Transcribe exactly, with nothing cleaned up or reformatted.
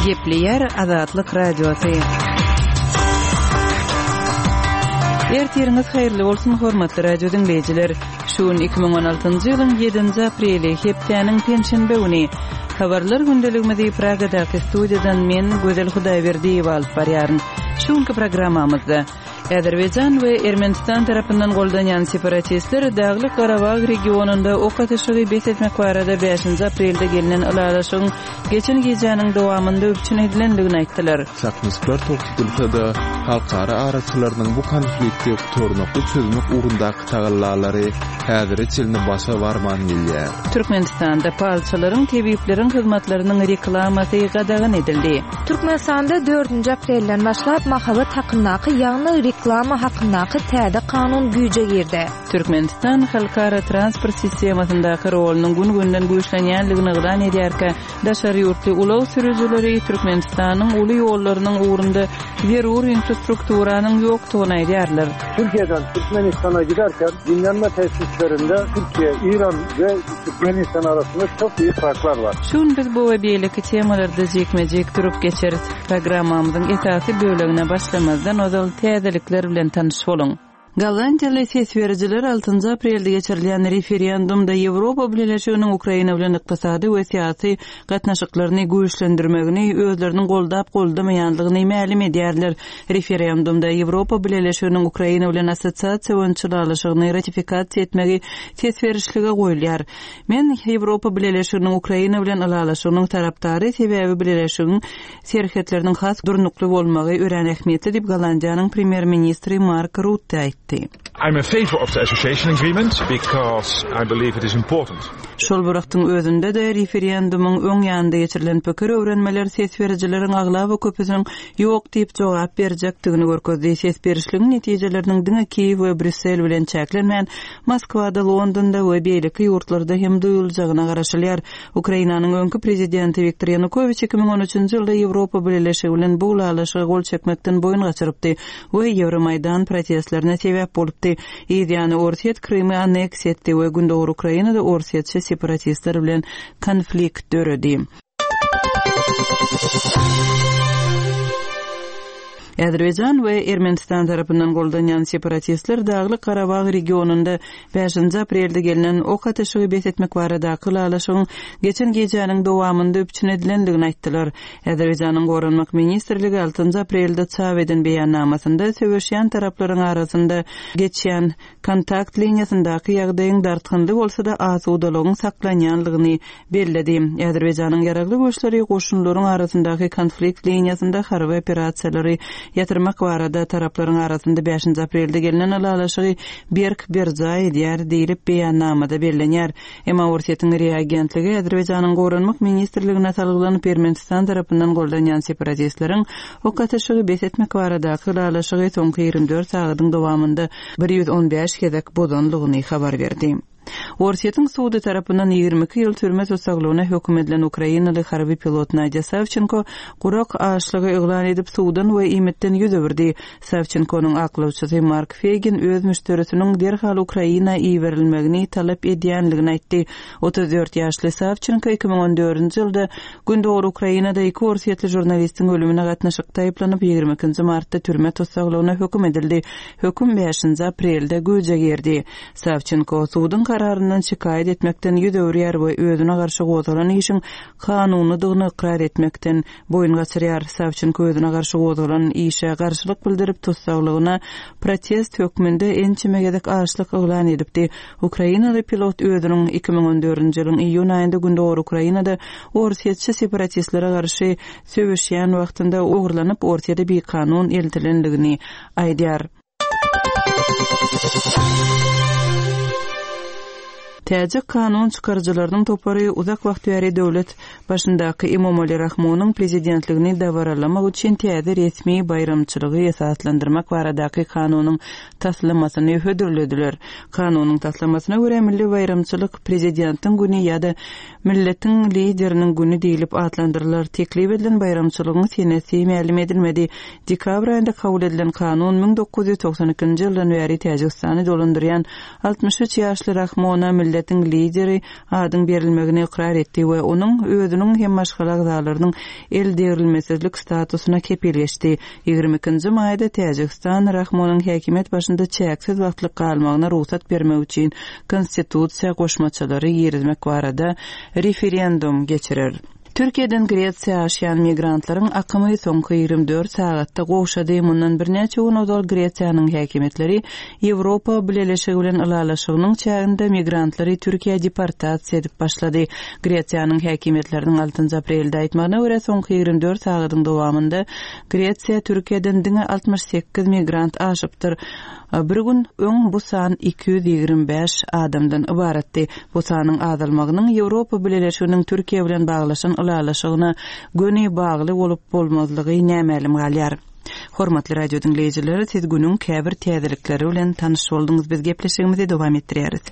Gepleýär Azatlyk Radiosy. Ertiriňiz haýyrly bolsun, hormatly radio diňleýjiler. Şu gün iki müň on altynjy ýylyň ýedinji apreli, hepdäniň penşenbe güni. Habarlar gündeligimizi Pragadaky studiýadan men, Gözel Hudaýberdiýewa alyp barýaryn. Şu günki programmamyzda Azerbaýjan we Ermenistan tarapyndan goldanýan separatistler Daglyk Garabag regionynda ok atyşygy bes etmek barada bäşinji aprelde gelnen ylalaşygyň geçen gijäniň dowamynda üpjün edilendigini aýtdylar. Çaknyşyklar togtatylsa-da, halkara araçylarynyň bu konflikti gutarnykly çözmek ugrundaky tagallalary häzire çenli başa barman gelýär. Türkmenistanda palçylaryň, tebipleriň hyzmatlarynyň reklamasy gadagan edildi. Türkmenistanda dördünji aprelden başlap mahabat hakyndaky, ýagny reklama hakyndaky täze kanun güýje girdi. Türkmenistan halkara transport sistemasyndaky rolunyň gün-günden güýçlenýändigini yglan edýärkä, daşary ýurtly ulag sürüjileri Türkmenistanyň uly ýollarynyň ugrunda zerur infrastrukturanyň ýokdugyny aýdýarlar. Türkiýeden Türkmenistana giderken dinlenme tesislerinde Türkiye, İran ve Türkmenistan arasında çok büyük farklar var. Şu gün biz bu we beýleki temalarda jikme-jik durup geçeris. Programmamyzyň esasy bölegine başlamazdan ozal täzelikler bilen tanyş boluň. Gollandiýaly ses berijiler altynjy aprelde geçirilýän referendumda Ýewropa Bileleşiginiň Ukraina bilen ykdysady we syýasy gatnaşyklaryny güýçlendirmegini özleriniň goldap goldamaýandygyny mälim edýärler. Referendumda Ýewropa Bileleşiginiň Ukraina bilen assosiasiýa boýunça ylalaşygyny ratifikasiýa etmegi ses berişlige goýulýar. Men Ýewropa Bileleşiginiň Ukraina bilen ylalaşygynyň tarapdary, sebäbi Bileleşigiň serhetleriniň has durnukly bolmagy örän ähmiýetli diýip Gollandiýanyň premýer-ministri Mark Rutte aýtdy. I'm in favor of the association agreement because I believe it is important. Şol bir wagtyň özünde-de referendumyň öň ýanynda geçirilen pikir öwrenmeler ses berijileriň aglaba köpüsiniň ýok diýip jogap berjekdigini görkezdi. Ses berişligiň netijeleriniň diňe Kiýew we Brýussel bilen çäklenmän, Moskwada, Londonda we beýleki ýurtlarda hem duýuljagyna garaşylýar. Ukrainanyň öňki prezidenti Wiktor Ýanukowiç iki müň on üçünji ýylda Ýewropa Bileleşigi bilen bu ylalaşyga gol çekmekden boýun gaçyrypdy we Ýewromaýdan protestlerine sebäp bolupdy. Yz ýany Orsýet Krymy anneksiýa etdi we Gündogar Ukrainada orsýetçi separatistler bilen konflikt döredi. Azerbaýjan we Ermenistan tarapyndan goldanýan separatistler Daglyk Garabag regionynda bäşinji aprelde gelnen ok atyşygy bes etmek baradaky ylalaşygyň geçen gijäniň dowamynda üpjün edilendigini aýtdylar. Azerbaýjanyň Goranmak ministrligi altynjy aprelde çap eden beýannamasynda söweşýän taraplaryň arasynda geçýän kontakt liniýasyndaky ýagdaýyň dartgynly bolsa-da asudalygyň saklanýanlygyny belledi. Azerbaýjanyň ýaragly güýçleri goşunlaryň arasyndaky konflikt liniýasynda harby operasiýalary ýatyrmak barada taraplaryň arasynda bäşinji aprelde gelnen ylalaşygy berk berjaý edýär diýlip beýannamada bellenýär. Emma Orsýetiň reagentligi Azerbaýjanyň Goranmak ministrligine salgylanyp Ermenistan tarapyndan goldanýan separatistleriň ok atyşygy bes etmek baradaky ylalaşygy soňky ýigrimi dört sagadyň dowamynda bir ýüz on bäş gezek bozanlygyny habar berdi. Orsýetiň sudy tarapyndan ýigrimi iki ýyl türme tussaglygyna höküm edilen ukrainaly harby pilot Nadya Savchenko gurak açlygy yglan edip suwdan we iýmitden ýüz öwürdi. Savchenkonyň aklawçysy Mark Feygin öz müşderisiniň derhal Ukraina iberilmegini talap edýänligini aýtdy. Otuz dört ýaşly Savchenko iki müň on dördünji ýylda Gündogar Ukrainada iki orsýetli žurnalistiň ölümine gatnaşykda aýyplanyp ýigrimi ikinji martda türme tussaglygyna höküm edildi. Höküm bäşinji aprelde güýje girdi. Savchenko suduň kararyndan şikaýat etmekden ýüz öwürýär we özüne garşy gozgalan işiň kanunydygyny ykrar etmekden boýun gaçyrýar. Savchenko özüne garşy gozgalan işe garşylyk bildirip tussaglygyna protest hökmünde ençeme gezek açlyk yglan edipdi. Ukrainaly pilot özüniň iki müň on dördünji ýylyň iýun aýynda Gündogar Ukrainada orsýetçi separatistlere garşy söweşýän wagtynda ogurlanyp Orsýete bikanun eltilendigini aýdýar. Täjik kanun çykaryjylarynyň topary uzak wagt bäri döwlet başyndaky Emomali Rahmonyň prezidentligini dabaralamak üçin täze resmi baýramçylygy esaslandyrmak baradaky kanunyň taslamasyny hödürlediler. Kanunyň taslamasyna görä milli baýramçylyk prezidentiň güni ýa-da milletiň lideriniň güni diýlip atlandyrylar. Teklip edilen baýramçylygyň senesi mälim edilmedi. Dekabr aýynda kabul edilen kanun müň dokuz ýüz togsan ikinji ýyldan bäri Täjigistany dolandyrýan altmyş üç ýaşly Rahmona milli milletiň lideri adyň berilmegini ykrar etdi we onuň özüniň hem maşgala agzalarynyň eldegrilmesizlik statusyna kepil geçdi. Ýigrimi ikinji maýda Täjigistan Rahmonyň häkimiýet başynda çäksiz wagtlyk galmagyna rugsat bermek üçin konstitusiýa goşmaçalary girizmek barada referendum geçirer. Türkiýeden Gresiýa aşýan migrantlaryň akymy soňky ýigrimi dört sagatda gowşady. Mundan birnäçe gün ozal Gresiýanyň häkimiýetleri Ýewropa Bileleşigi bilen ylalaşygynyň çäginde migrantlary Türkiýä deportasiýa edip başlady. Gresiýanyň häkimiýetleriniň altynjy aprelde aýtmagyna görä, soňky ýigrimi dört sagadyň dowamynda Gresiýa Türkiýeden diňe altmyş sekiz migrant aşypdyr. Bir gün öň bu san iki ýüz ýigrimi bäş adamdan ybaratdy. Bu sanyň azalmagynyň Ýewropa Bileleşiginiň Türkiýe bilen baglaşan ylalaşygyna göni bagly bolup bolmazlygy nämälim galýar. Hormatly radio diňleýjiler, siz günüň käbir täzelikleri bilen tanyş bolduňyz. Biz gepleşigimizi dowam etdirýäris.